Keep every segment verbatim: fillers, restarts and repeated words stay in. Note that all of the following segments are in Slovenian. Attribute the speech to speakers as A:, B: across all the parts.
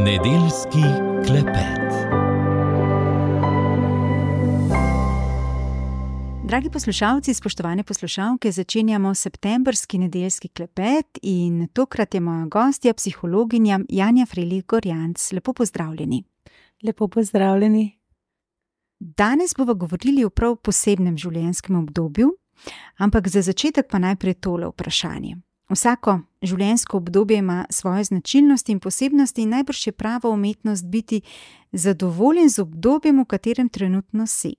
A: Nedeljski klepet.
B: Dragi poslušalci, spoštovane poslušalke, začenjamo septembrski nedeljski klepet in tokrat je moja gostja, psihologinja Janja Frelih Gorjanc. Lepo pozdravljeni.
C: Lepo pozdravljeni.
B: Danes bomo govorili o prav posebnem življenjskem obdobju, ampak za začetek pa najprej tole vprašanje. Vsako življenjsko obdobje ima svoje značilnosti in posebnosti in najbrž je prava umetnost biti zadovoljen z obdobjem, v katerem trenutno si.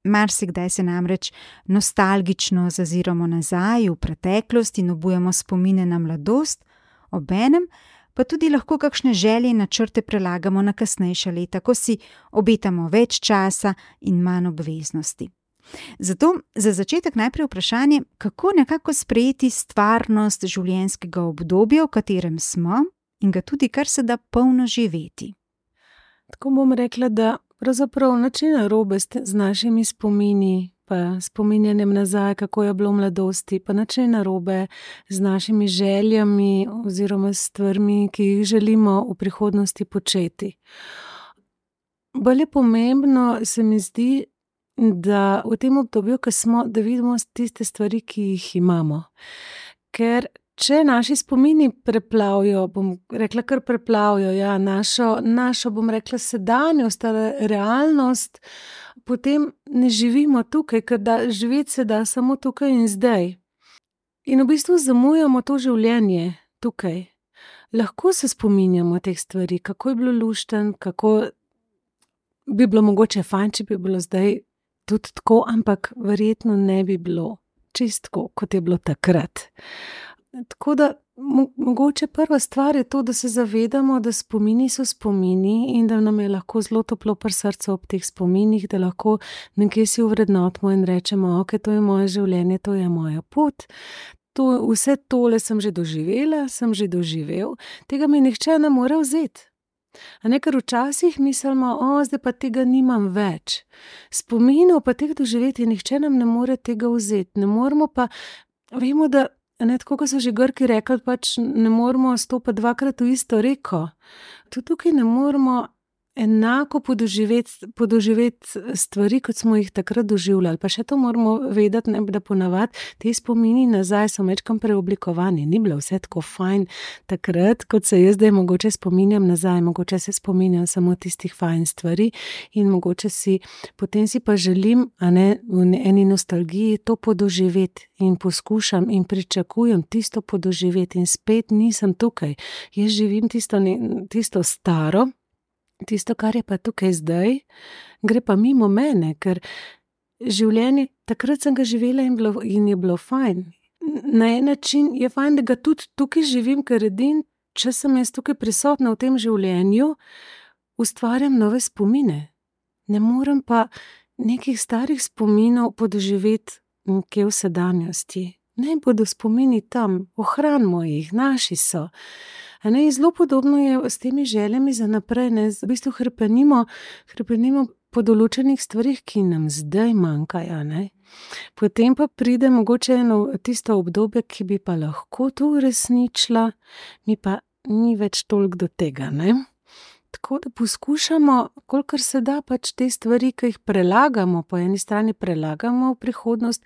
B: Marsikdaj se namreč nostalgično zaziramo nazaj v preteklost in obujamo spomine na mladost, obenem pa tudi lahko kakšne želje in načrte prelagamo na kasnejša leta, ko si obetamo več časa in manj obveznosti. Zato za začetek najprej vprašanje, kako nekako sprejeti stvarnost življenjskega obdobja, v katerem smo, in ga tudi kar se da polno živeti.
C: Tako bom rekla, da pravzaprav nič ni narobe z našimi spomini, pa spominjanjem nazaj, kako je bilo v mladosti, pa nič ni narobe z našimi željami oziroma stvarmi, ki jih želimo v prihodnosti početi. Bolj je pomembno, se mi zdi, da v tem obdobju, ko smo, da vidimo tiste stvari, ki jih imamo. Ker če naši spomini preplavijo, bom rekla kar preplavijo, ja, našo, našo, bom rekla, sedanjost, realnost, potem ne živimo tukaj, ker da, živeti se da samo tukaj in zdaj. In v bistvu zamujamo to življenje tukaj. Lahko se spominjamo teh stvari, kako je bilo lušten, kako bi bilo mogoče fajn, če bi bilo zdaj tudi tako, ampak verjetno ne bi bilo čistko, kot je bilo takrat. Tako da mo- mogoče prva stvar je to, da se zavedamo, da spomini so spomini in da nam je lahko zelo toplo pri srcu ob teh spominih, da lahko nekje si uvrednotimo in rečemo, ok, to je moje življenje, to je moja pot. To, vse tole sem že doživela, sem že doživel, tega mi nihče ne more vzeti. A ne, ker včasih mislimo, o, zdaj pa tega nimam več. Spominov pa teh doživeti, nihče nam ne more tega vzeti. Ne moramo pa, vemo, da, ne, tako kot so že Grki rekli, pač ne moramo stopiti dvakrat v isto reko. Tudi tukaj ne moramo enako podoživeti, podoživeti stvari, kot smo jih takrat doživljali. Pa še to moramo vedeti, ne, da ponavadi te spomini nazaj so mečkam preoblikovani. Ni bilo vse tako fajn takrat, kot se jaz zdaj mogoče spominjam nazaj. Mogoče se spominjam samo tistih fajn stvari in mogoče si, potem si pa želim, a ne, v eni nostalgiji to podoživeti in poskušam in pričakujem tisto podoživeti in spet nisem tukaj. Jaz živim tisto, tisto staro, tisto, kar je pa tukaj zdaj, gre pa mimo mene, ker življenje, takrat sem ga živela in, bilo, in je bilo fajn. Na en način je fajn, da ga tudi tukaj živim, ker edin, če sem jaz tukaj prisotna v tem življenju, ustvarjam nove spomine. Ne morem pa nekih starih spominov podoživeti nekje v sedanjosti. Ne bodo spomini tam, ohranimo jih, naši so. A ne, zelo podobno je s temi željami za naprej, ne, v bistvu hrepenimo, hrepenimo po določenih stvarih, ki nam zdaj manjkajo, ne. Potem pa pride mogoče eno tisto obdobje, ki bi pa lahko to uresničila, mi pa ni več toliko do tega, ne. Tako da poskušamo, kolikor se da, pač te stvari, ki jih prelagamo, po eni strani prelagamo v prihodnost,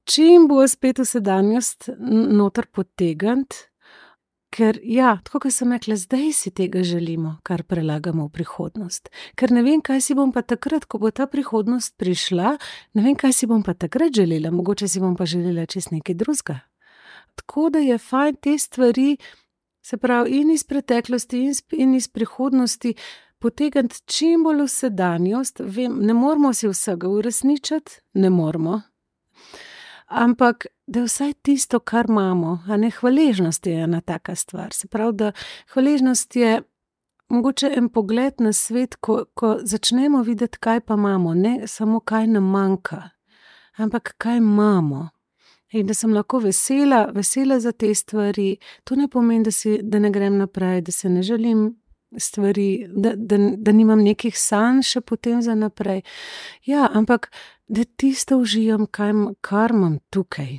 C: čim bo spet v sedanjost noter potegniti. Ker ja, tako kot sem rekla, zdaj si tega želimo, kar prelagamo v prihodnost. Ker ne vem, kaj si bom pa takrat, ko bo ta prihodnost prišla, ne vem, kaj si bom pa takrat želela, mogoče si bom pa želela čez nekaj drugega. Tako da je fajn te stvari, se pravi, in iz preteklosti in iz, in iz prihodnosti, potegniti čim bolj v sedanjost. Vem, ne moramo si vsega uresničiti, ne moramo. Ampak, da je vsaj tisto, kar imamo, a ne, hvaležnost je ena taka stvar. Se pravi, da hvaležnost je mogoče en pogled na svet, ko, ko začnemo videti, kaj pa imamo, ne samo kaj nam manjka, ampak kaj imamo. In da sem lahko vesela, vesela za te stvari. To ne pomeni, da, si, da ne grem naprej, da se ne želim stvari, da, da, da nimam nekih sanj še potem za naprej. Ja, ampak da tisto uživam, kaj, kar imam tukaj.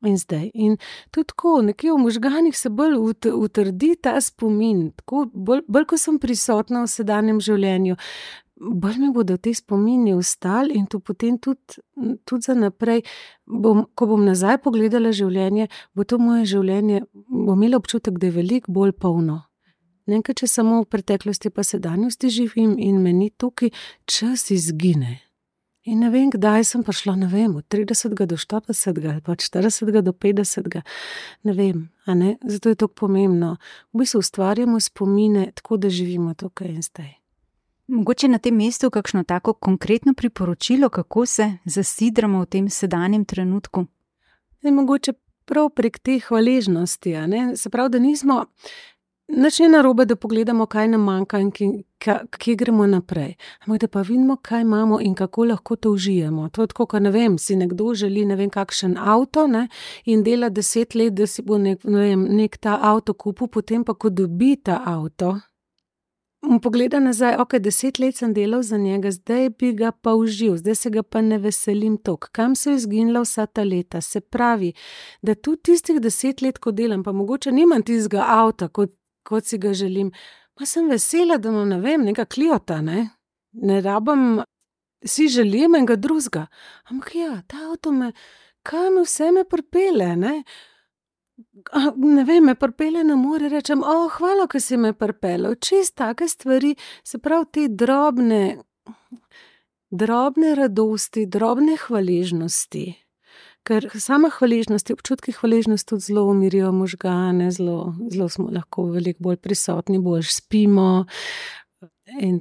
C: in zdaj. In tudi tako, nekje v možganih se bolj ut, utrdi ta spomin. Tako, bolj, bolj, ko sem prisotna v sedanjem življenju, bolj mi bodo te spomini ostali in to potem tudi, tudi za naprej, bom, ko bom nazaj pogledala življenje, bo to moje življenje, bom imela občutek, da je veliko bolj polno. Nekaj, če samo v preteklosti pa sedanjosti živim in me ni tukaj, čas izgine. In ne vem, kdaj sem prišla, ne vem, od tridesetega do štiridesetega ali pa od štiridesetega do petdesetega, ne vem, a ne, zato je to pomembno. V bistvu ustvarjamo spomine tako, da živimo tukaj in zdaj.
B: Mogoče na tem mestu kakšno tako konkretno priporočilo, kako se zasidramo v tem sedanjem trenutku?
C: Ne, mogoče prav prek te hvaležnosti, a ne, se pravi, da nismo, nič ni narobe, da pogledamo, kaj nam manjka in kje gremo naprej. Ampak da pa vidimo, kaj imamo in kako lahko to užijemo. To je tako, ko ne vem, si nekdo želi ne vem kakšen avto, ne, in dela deset let, da si bo nek, ne vem, nek ta avto kupil, potem pa, ko dobi ta avto, in pogleda nazaj, ok, deset let sem delal za njega, zdaj bi ga pa užil, zdaj se ga pa ne veselim toliko. Kam se je izginila vsa ta leta? Se pravi, da tudi tistih deset let, ko delam, pa mogoče nimam tistega avta, kot kot si ga želim, pa sem vesela, da imam, ne vem, neka Cliota, ne, ne rabim, si želim enega drugega, ampak ja, ta avto me, kaj me vse me pripelje, ne, A, ne vem, me pripelje na more, rečem, o, hvala, ko si me pripeljal, čist take stvari, se pravi, te drobne, drobne radosti, drobne hvaležnosti. Ker sama hvaležnost, občutki hvaležnosti tudi zelo umirijo možgane, zelo, zelo smo lahko veliko bolj prisotni, bolj spimo. In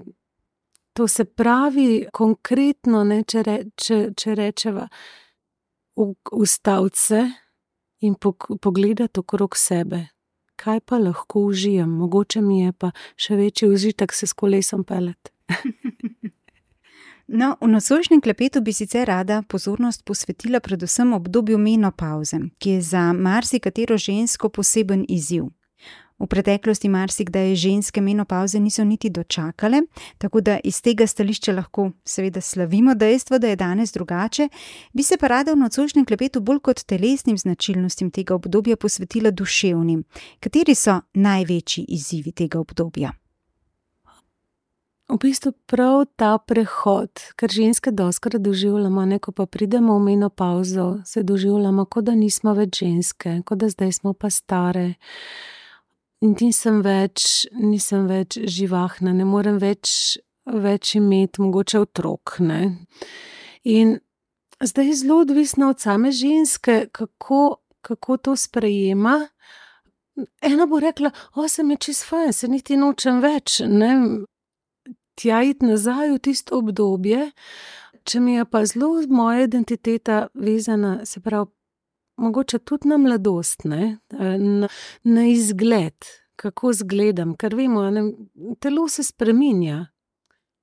C: to se pravi konkretno, ne, če, re, če, če rečeva, ustaviti se in pogledati okrog sebe. Kaj pa lahko užijem? Mogoče mi je pa še večji užitek se s kolesom peljati.
B: No, v nocojšnjem klepetu bi sicer rada pozornost posvetila predvsem obdobju menopavze, ki je za marsikatero žensko poseben izziv. V preteklosti marsikdaj ženske menopavze niso niti dočakale, tako da iz tega stališča lahko seveda slavimo dejstvo, da je danes drugače, bi se pa rada v nocojšnjem klepetu bolj kot telesnim značilnostim tega obdobja posvetila duševnim. Kateri so največji izzivi tega obdobja?
C: V bistvu prav ta prehod, ker ženske dostikrat doživljamo, ne, ko pa pridemo v menopavzo, se doživljamo, kot da nismo več ženske, kot da zdaj smo pa stare. Nisem več, nisem več živahna, ne morem več, več imeti mogoče otrok, ne. In zdaj je zelo odvisno od same ženske, kako, kako to sprejema. Ena bo rekla, o, se mi je čisto fajn, se niti nočem več, ne. Tja iti nazaj v tisto obdobje, če mi je pa zelo moja identiteta vezana, se pravi, mogoče tudi na mladost, ne, na, na izgled, kako izgledam, ker vemo, ne, telo se spreminja.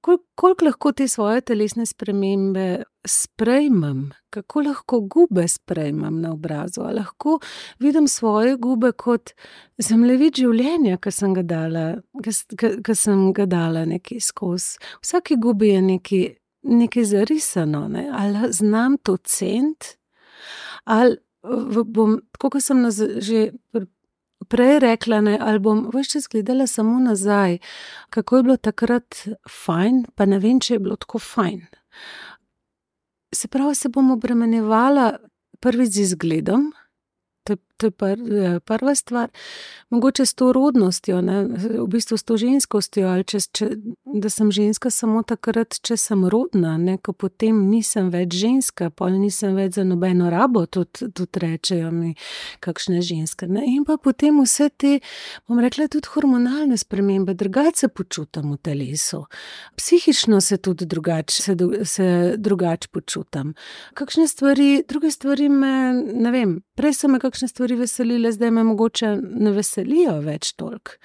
C: Kol, koliko lahko te svoje telesne spremembe sprejmem, kako lahko gube sprejmem na obrazu, a lahko vidim svoje gube kot zemljevid življenja, ki sem ga dala, ki sem ga dala nekaj skozi. Vsaki gubi je nekaj, nekaj zarisano, ne, ali znam to ceniti, ali bom, tako kot sem naz, že prej rekla, ne, ali bom ves čas gledala samo nazaj, kako je bilo takrat fajn, pa ne vem, če je bilo tako fajn. Se pravi, se bom obremenjevala prvič z izgledom, to, to je pr, prva stvar, mogoče s to rodnostjo, ne, v bistvu s to ženskostjo, ali če, če, da sem ženska samo takrat, če sem rodna, ne, ko potem nisem več ženska, pol nisem več za nobeno rabo, tudi, tudi rečejo mi kakšne ženske, ne, in pa potem vse te, bom rekla, tudi hormonalne spremembe, drugače se počutam v telesu, psihično se tudi drugače, se, se drugače počutam. Kakšne stvari, druge stvari me, ne vem, prej so me kakšne stvari veselile, zdaj me mogoče ne veselijo več toliko.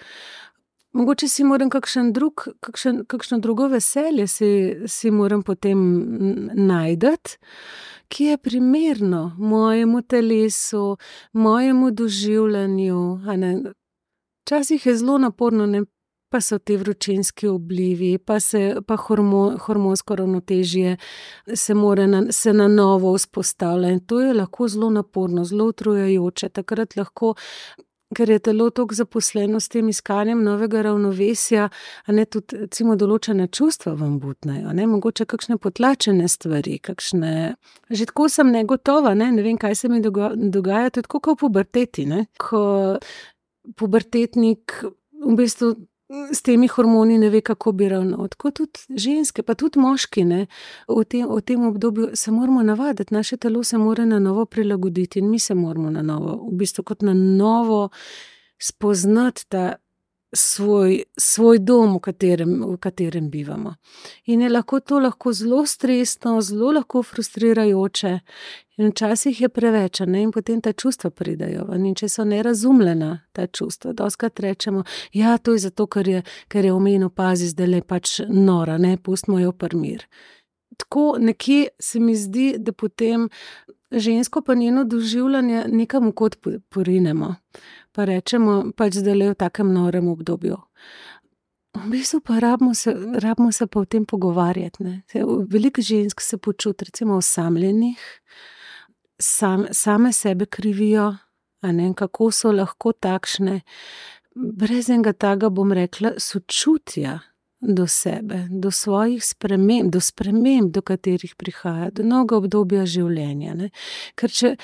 C: Mogoče si moram kakšen drug, kakšen, kakšno drugo veselje si, si moram potem najdeti, ki je primerno mojemu telesu, mojemu doživljanju. Včasih je zelo naporno, ne, pa so te vročinski oblivi, pa, se, pa hormo, hormonsko ravnotežje se mora na, se na novo vzpostavlja. In to je lahko zelo naporno, zelo utrujajoče. Takrat lahko, ker je telo toliko zaposleno s tem iskanjem novega ravnovesja, a ne tudi recimo določene čustva vam butnejo, ne, mogoče kakšne potlačene stvari, kakšne, že tako sem negotova, ne, ne vem, kaj se mi dogaja, to je tako kot v puberteti, ne, ko pubertetnik v bistvu s temi hormoni ne ve, kako bi ravnal. Tako tudi ženske, pa tudi moški, ne, v tem, v tem obdobju se moramo navaditi, naše telo se mora na novo prilagoditi in mi se moramo na novo, v bistvu kot na novo spoznati ta svoj, svoj dom, v katerem, v katerem bivamo. In je lahko to lahko zelo stresno, zelo lahko frustrirajoče in včasih je preveč, ne, in potem ta čustva pridejo. In če so nerazumljena ta čustva, dostikrat rečemo, ja, to je zato, ker je, ker je v menopauzi zdajle pač nora, ne, pustimo jo pri miru. Tako nekje se mi zdi, da potem žensko pa njeno doživljanje nekam v kot porinemo. Pa rečemo, pač zdajle v takem norem obdobju. V bistvu pa rabimo se, rabimo se pa o tem pogovarjati, ne. Veliko žensk se počuti recimo osamljenih, sam, same sebe krivijo, a ne, kako so lahko takšne, brez enega taga, bom rekla, sočutja do sebe, do svojih sprememb, do sprememb, do katerih prihaja, do novega obdobja življenja, ne. Ker če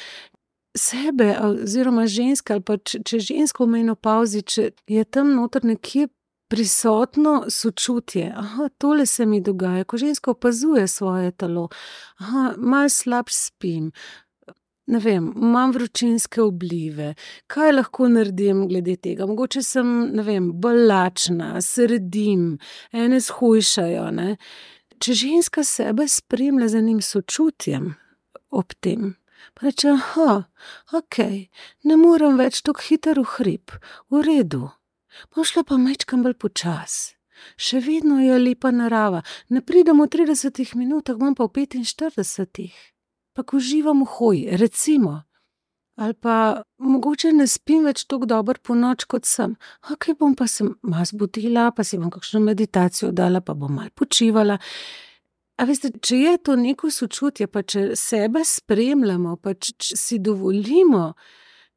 C: sebe oziroma ženske ali pa če, če žensko v menopauzi, če je tam noter nekje prisotno sočutje, aha, tole se mi dogaja, ko ženska opazuje svoje telo, aha, malo slabše spim, ne vem, imam vročinske oblive, kaj lahko naredim glede tega, mogoče sem, ne vem, bolj lačna, se redim, ene shujšajo, ne. Če ženska sebe spremlja z enim sočutjem ob tem, pa reče, aha, okej, ne morem več tako hitro v hrib, v redu, bom šla pa majčkeno bolj počas, še vedno je lepa narava, ne pridem v tridesetih minutah, bom pa v petinštiridesetih, pa ko uživam v hoji, recimo, ali pa mogoče ne spim več tako dobro po noč, kot sem, okej, bom pa se malo zbudila, pa si bom kakšno meditacijo dala, pa bom malo počivala. A veste, če je to neko sočutje, pa če sebe spremljamo, pa če si dovolimo,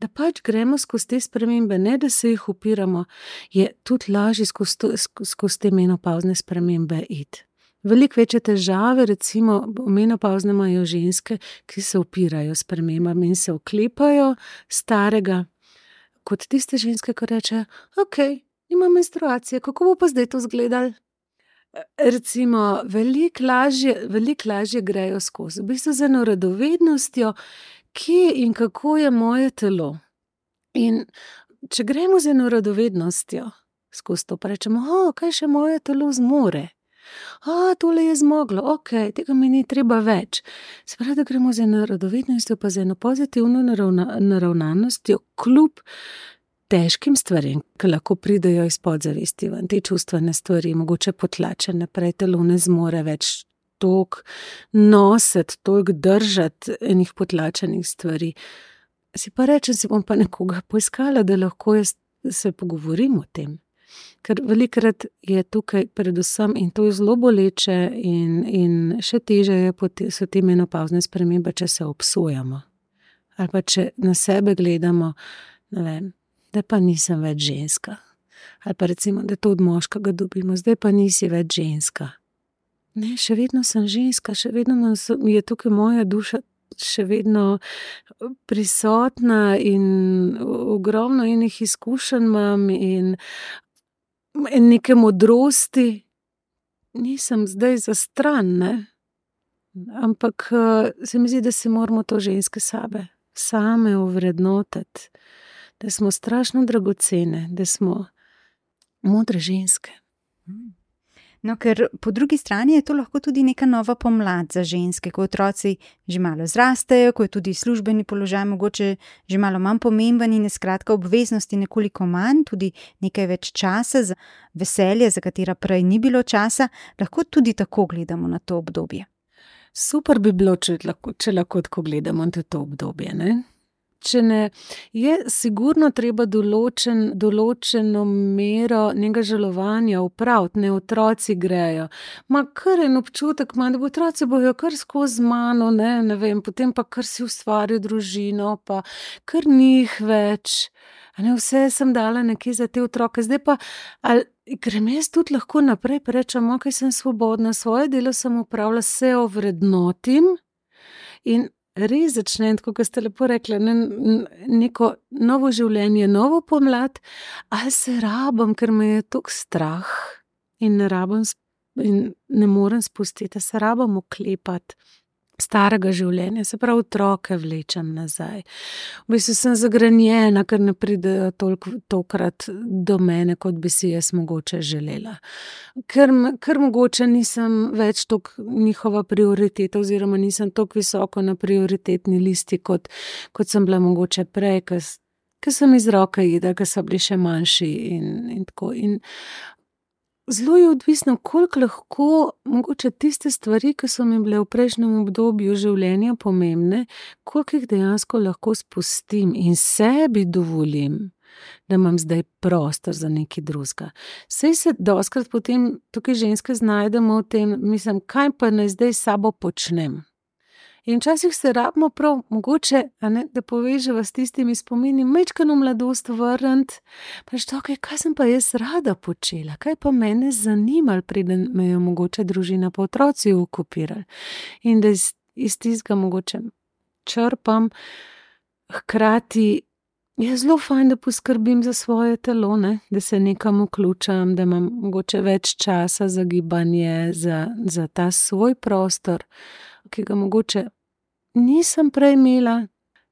C: da pač gremo skozi te spremembe, ne da se jih upiramo, je tudi lažje skozi, skozi te menopauzne spremembe iti. Veliko večje težave, recimo, menopauzne imajo ženske, ki se upirajo spremembam in se oklepajo starega, kot tiste ženske, ki rečejo, okej, nimam menstruacije, kako bo pa zdaj to izgledalo? Recimo, veliko lažje, veliko lažje grejo skozi, v bistvu z eno radovednostjo, kje in kako je moje telo. In če gremo z eno radovednostjo skozi to, pa rečemo, o, kaj še moje telo zmore? A, tole je zmoglo, okej, tega mi ni treba več. Se pravi, da gremo z eno radovednostjo, pa z eno pozitivno naravna, naravnanostjo, kljub težkim stvarem, ki lahko pridejo iz podzavesti ven, te čustvene stvari, mogoče potlačene, prej telo ne zmore več toliko nositi, toliko držati enih potlačenih stvari. Si pa rečem, si bom pa nekoga poiskala, da lahko jaz se pogovorim o tem. Ker velikrat je tukaj predvsem, in to je zelo boleče in, in še teže je, so te menopauzne spremembe, če se obsojamo. Ali pa če na sebe gledamo, ne vem, da pa nisem več ženska. Ali pa recimo, da to od moškega dobimo, zdaj pa nisi več ženska. Ne, še vedno sem ženska, še vedno je tukaj moja duša še vedno prisotna in ogromno enih izkušenj imam in neke modrosti. Nisem zdaj za stran, ne. Ampak se mi zdi, da si moramo to ženske same, same ovrednotiti. Da smo strašno dragocene, da smo modre ženske.
B: No, ker po drugi strani je to lahko tudi neka nova pomlad za ženske, ko otroci že malo zrastejo, ko je tudi službeni položaj mogoče že malo manj pomemben in je skratka obveznosti nekoliko manj, tudi nekaj več časa za veselje, za katera prej ni bilo časa, lahko tudi tako gledamo na to obdobje.
C: Super bi bilo, če lahko, če lahko tako gledamo na to obdobje, ne? če ne, je sigurno treba določen, določeno mero njega žalovanja upraviti, ne otroci grejo. Ma kar en občutek ima, da bo otroci bojo kar skozi mano, ne, ne vem, potem pa kar si ustvaril družino, pa kar njih več. A ne, vse sem dala nekje za te otroke, zdaj pa, ali grem jaz tudi lahko naprej, pa rečem, ok, sem svobodna, svoje delo sem upravila, se ovrednotim in res začnem, tako kot ste lepo rekli, ne, neko novo življenje, novo pomlad, ali se rabim, ker me je toliko strah in ne rabim in ne morem spustiti, se rabim oklepati starega življenja, se pravi otroke vlečem nazaj. V bistvu sem zagrenjena, ker ne pridejo toliko tokrat do mene, kot bi si jaz mogoče želela. Ker, ker mogoče nisem več toliko njihova prioriteta oziroma nisem toliko visoko na prioritetni listi, kot, kot sem bila mogoče prej, ker, ker sem iz roke jedla, ker so bili še manjši in, in tako. In zelo je odvisno, koliko lahko mogoče tiste stvari, ki so mi bile v prejšnjem obdobju življenja pomembne, koliko jih dejansko lahko spustim in sebi dovolim, da imam zdaj prostor za nekaj drugega. Saj se dostikrat potem tukaj ženske znajdemo v tem, mislim, kaj pa naj zdaj s sabo počnem. In včasih se rabimo prav mogoče, a ne, da poveževa s tistimi spomini, majčkeno mladost vrniti, pa reči, ok, kaj sem pa jaz rada počela, kaj pa mene zanimalo, preden me je mogoče družina pa otroci okupirali. In da iz, iz tistega mogoče črpam, hkrati je zelo fajn, da poskrbim za svoje telo, ne, da se nekam vključam, da imam mogoče več časa za gibanje, za, za ta svoj prostor, ki ga mogoče nisem prej imela,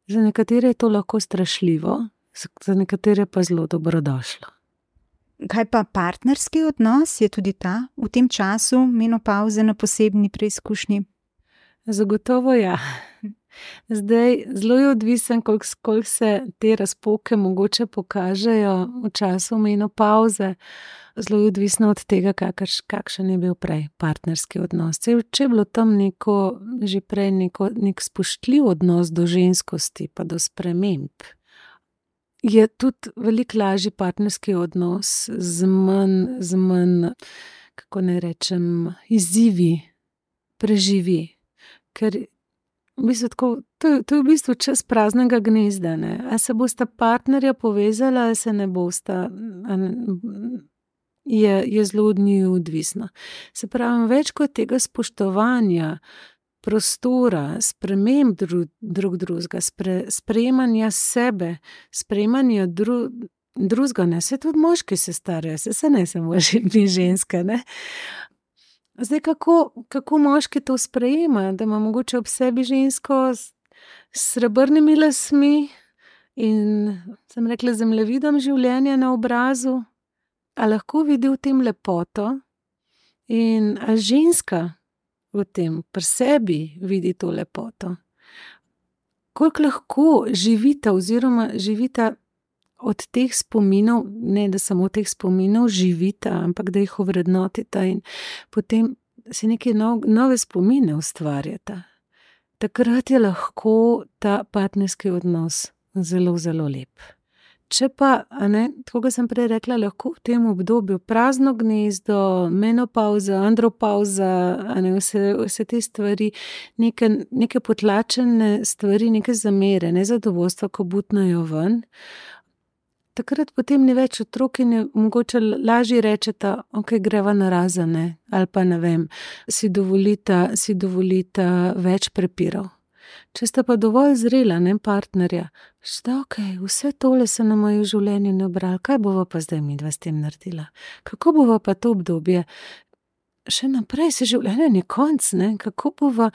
C: za nekatere je to lahko strašljivo, za nekatere pa zelo dobrodošlo.
B: Kaj pa partnerski odnos, je tudi ta v tem času menopavze na posebni preizkušnji?
C: Zagotovo ja. Zdaj, zelo je odvisen, koliko, koliko se te razpoke mogoče pokažejo v času menopavze. Zelo je odvisno od tega, kakš, kakšen je bil prej partnerski odnos. Če je bilo tam neko, že prej neko, nek spoštljiv odnos do ženskosti pa do sprememb, je tudi veliko lažji partnerski odnos z manj, z manj, kako ne rečem, izzivi preživi. Ker v bistvu tako, to, je, to je v bistvu čas praznega gnezda, ne? A se bosta partnerja povezala, a se ne bosta, a ne, je, je zelo od njiju odvisno. Se pravi, več kot tega spoštovanja, prostora, sprememb drug, drug drugega, spre, sprejemanja sebe, sprejemanja dru, drugega, ne, se tudi moški se starajo, se, se ne samo ženske, ne. Zdaj, kako, kako moški to sprejema, da ima mogoče ob sebi žensko s srebrnimi lasmi in, sem rekla, zemljevidom življenja na obrazu, a lahko vidi v tem lepoto in a ženska v tem pri sebi vidi to lepoto. Koliko lahko živita oziroma živita od teh spominov, ne da samo teh spominov živita, ampak da jih ovrednotita in potem si neke nov, nove spomine ustvarjata. Takrat je lahko ta partnerski odnos zelo, zelo lep. Če pa, a ne, tako sem prej rekla, lahko v tem obdobju prazno gnezdo, menopauza, andropauza, a ne, vse, vse te stvari, neke, neke potlačene stvari, neke zamere, nezadovoljstva, ko butnajo ven, takrat potem ni več otrok in je mogoče lažje rečeta, ok, greva na razane, ali pa ne vem, si dovolita, si dovolita več prepirov. Če sta pa dovolj zrela, ne, partnerja, šta, ok, vse tole se nam je v življenju nabralo, kaj bova pa zdaj midva s tem naredila? Kako bova pa to obdobje? Še naprej se življenje ni konc, ne, kako bova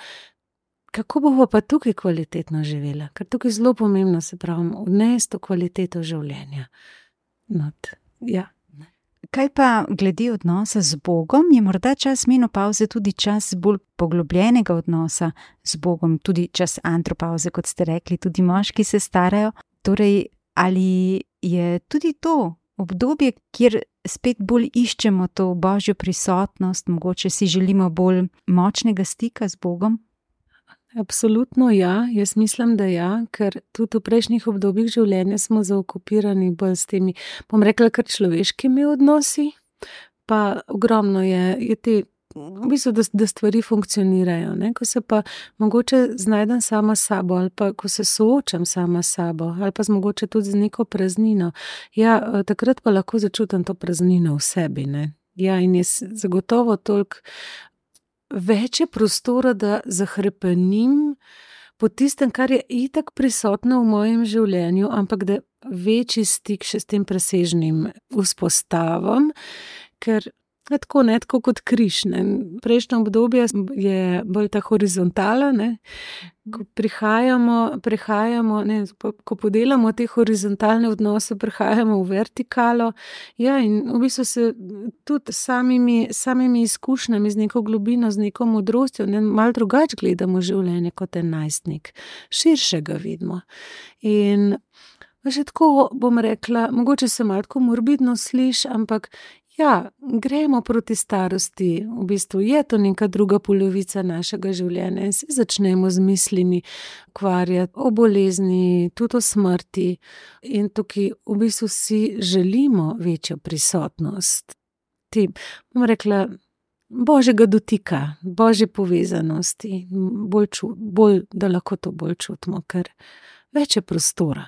C: Kako bova pa tukaj kvalitetno živela? Ker tukaj zelo pomembno, se pravi, odnesti to kvaliteto življenja. Not, ja.
B: Kaj pa glede odnosa z Bogom, je morda čas menopavze tudi čas bolj poglobljenega odnosa z Bogom, tudi čas andropavze, kot ste rekli, tudi moški se starajo. Torej, ali je tudi to obdobje, kjer spet bolj iščemo to božjo prisotnost, mogoče si želimo bolj močnega stika z Bogom?
C: Absolutno ja, jaz mislim, da ja, ker tudi v prejšnjih obdobjih življenja smo zaokupirani bolj s temi, bom rekla, kar človeškimi odnosi, pa ogromno je, je te, v bistvu, da, da stvari funkcionirajo, ne? Ko se pa mogoče znajdem sama s sabo ali pa ko se soočam sama s sabo ali pa z mogoče tudi z neko praznino, ja, takrat pa lahko začutim to praznino v sebi, ne. Ja, in je zagotovo toliko več je prostora, da zahrepenim po tistem, kar je itak prisotno v mojem življenju, ampak da večji stik še s tem presežnim vzpostavim, ker tako, ne, tako kot križ, ne. Prejšnje obdobje je bolj ta horizontala, ne. Ko prihajamo, prihajamo, ne, ko podelamo te horizontalne odnose, prihajamo v vertikalo, ja, in v bistvu se tudi samimi, samimi izkušnjami, z neko globino, z neko modrostjo, ne, malo drugače gledamo življenje kot en najstnik. Širše ga vidimo. In še tako bom rekla, mogoče se malo tako morbidno sliši, ampak ja, gremo proti starosti, v bistvu je to neka druga polovica našega življenja in se začnemo z mislimi ukvarjati o bolezni, tudi o smrti in tukaj v bistvu si želimo večjo prisotnost. Ti, bom rekla, božjega dotika, božje povezanosti, bolj, ču, bolj, da lahko to bolj čutimo, ker več je prostora.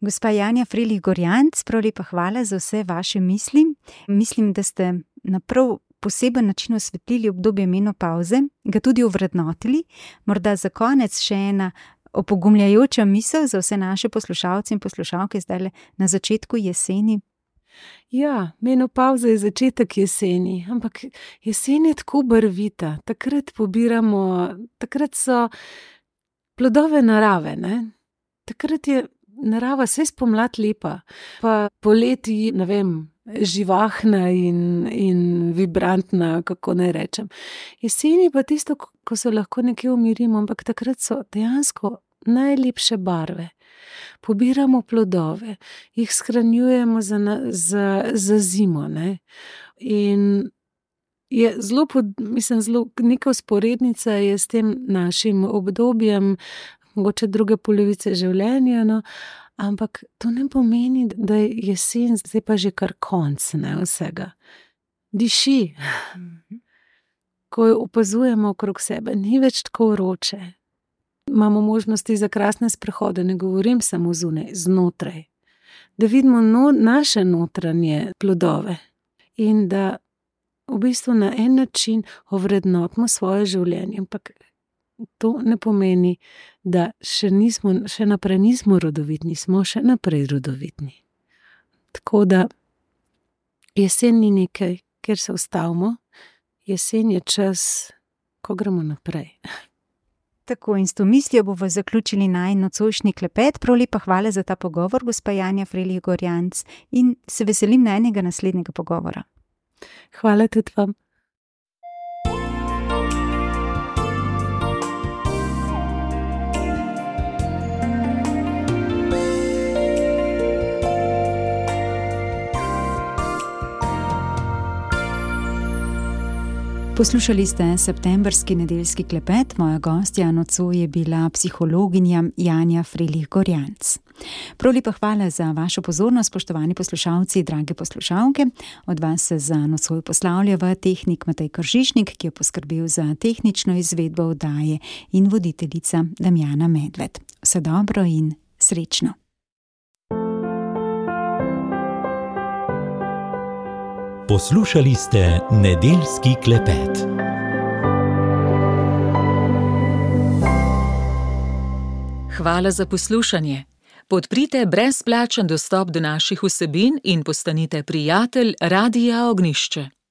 B: Gospa Janja Frelih Gorjanc, prav lepa hvala za vse vaše misli. Mislim, da ste na prav poseben način osvetlili obdobje menopavze, ga tudi ovrednotili. Morda za konec še ena opogumljajoča misel za vse naše poslušalce in poslušalke zdaj na začetku jeseni.
C: Ja, menopavza je začetek jeseni, ampak jesen je tako barvita. Takrat pobiramo, takrat so plodove narave, ne? Takrat je narava vse spomlad lepa, pa poleti, ne vem, živahna in, in vibrantna, kako naj rečem. Jeseni pa tisto, ko se lahko nekje umirimo, ampak takrat so dejansko najlepše barve. Pobiramo plodove, jih shranjujemo za, za, za zimo, ne. In je zelo, mislim, zelo neka vzporednica je s tem našim obdobjem, mogoče druge polovice življenja, no, ampak to ne pomeni, da je jesen, zdaj pa že kar konc, ne, vsega. Diši. Ko jo opazujemo okrog sebe, ni več tako vroče. Imamo možnosti za krasne sprehode, ne govorim samo zunaj, znotraj. Da vidimo no, naše notranje plodove in da v bistvu na en način ovrednotimo svoje življenje, ampak to ne pomeni, da še, nismo, še naprej nismo rodovitni, smo še naprej rodovitni. Tako da jesen ni nekaj, kjer se ustavimo, jesen je čas, ko gremo naprej.
B: Tako, in s to mislijo bomo zaključili najin nocojšnji klepet. Prav lepa hvala za ta pogovor, gospa Janja Frelih Gorjanc, in se veselim najinega naslednjega pogovora.
C: Hvala tudi vam.
B: Poslušali ste septembrski nedeljski klepet, moja gostja nocoj je bila psihologinja Janja Frelih Gorjanc. Prav lepa hvala za vašo pozornost, spoštovani poslušalci, drage poslušalke. Od vas se za nocoj poslavlja tehnik Matej Kržišnik, ki je poskrbel za tehnično izvedbo oddaje, in voditeljica Damjana Medved. Vse dobro in srečno.
A: Poslušali ste nedeljski klepet.
D: Hvala za poslušanje. Podprite brezplačen dostop do naših vsebin in postanite prijatelj Radia Ognjišče.